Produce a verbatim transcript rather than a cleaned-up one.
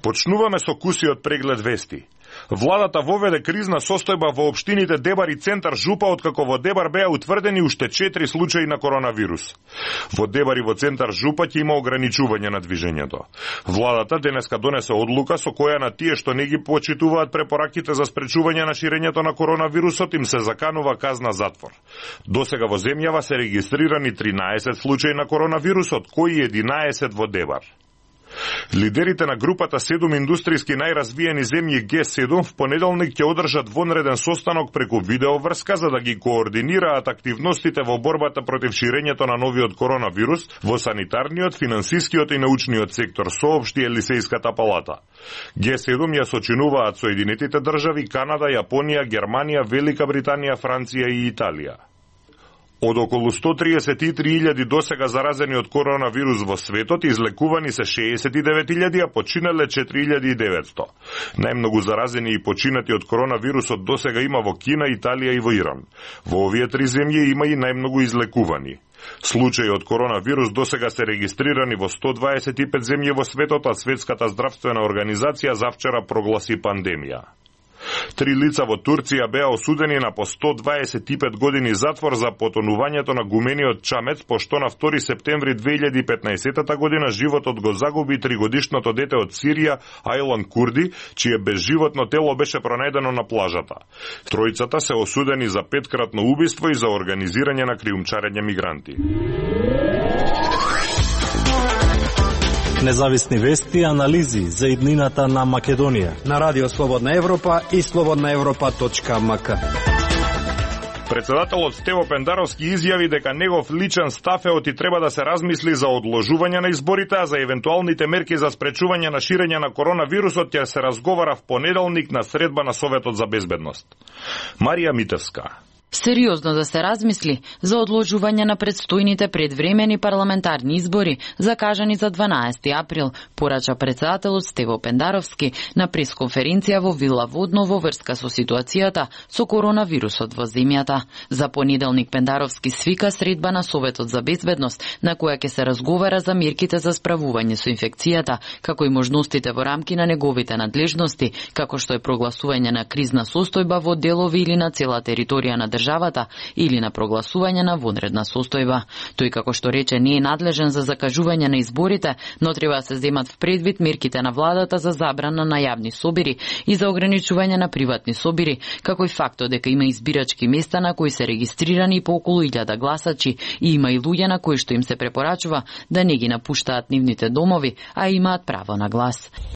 Почнуваме со кусиот преглед вести. Владата воведе кризна состојба во општините Дебар и Центар Жупа, откако во Дебар беа утврдени уште четири случаи на коронавирус. Во Дебар и во Центар Жупа ќе има ограничување на движењето. Владата денеска донесе одлука со која на тие што не ги почитуваат препораките за спречување на ширењето на коронавирусот им се заканува казна затвор. Досега во земјава се регистрирани тринаесет случаи на коронавирусот, кои единаесет во Дебар. Лидерите на групата седум индустријски најразвиени земји Г седум в понеделник ќе одржат вонреден состанок преку видеоврска за да ги координираат активностите во борбата против ширењето на новиот коронавирус во санитарниот, финансискиот и научниот сектор, соопшти Елисејската палата. Г седум ја сочинуваат Соединетите држави, Канада, Јапонија, Германија, Велика Британија, Франција и Италија. Од околу сто триесет и три илјади досега заразени од коронавирус во светот, излекувани се шеесет и девет илјади, а починале четири илјади и деветсто. Најмногу заразени и починати од коронавирусот досега има во Кина, Италија и во Иран. Во овие три земји има и најмногу излекувани. Случаи од коронавирус досега се регистрирани во сто дваесет и пет земји во светот, а Светската здравствена организација завчера прогласи пандемија. Три лица во Турција беа осудени на по сто дваесет и пет години затвор за потонувањето на гумениот чамец, пошто на втори септември две илјади и петнаесетта година животот го загуби тригодишното дете од Сирија, Айлан Курди, чие безживотно тело беше пронајдено на плажата. Тројцата се осудени за петкратно убиство и за организирање на криумчарење мигранти. Независни вести и анализи за иднината на Македонија на Радио Слободна Европа и слободна европа точка ем ка. Председателот Стево Пендаровски изјави дека негов личен став е оти треба да се размисли за одложување на изборите, а за евентуалните мерки за спречување на ширење на коронавирусот ќе се разговара в понеделник на средба на Советот за безбедност. Марија Митевска. Сериозно да се размисли за одложување на предстојните предвремени парламентарни избори закажани за дванаесети април, порача председателот Стево Пендаровски на пресконференција во Вила Водно во врска со ситуацијата со коронавирусот во земјата. За понеделник Пендаровски свика средба на Советот за безбедност, на која ќе се разговара за мерките за справување со инфекцијата, како и можностите во рамки на неговите надлежности, како што е прогласување на кризна состојба во делови или на цела територија на државата или на прогласување на вонредна состојба. Тој, како што рече, не е надлежен за закажување на изборите, но треба да се земат в предвид мерките на владата за забрана на јавни собири и за ограничување на приватни собири, како и фактот дека има избирачки места на кои се регистрирани по околу илјада гласачи и има и луѓе на кои што им се препорачува да не ги напуштаат нивните домови, а имаат право на глас.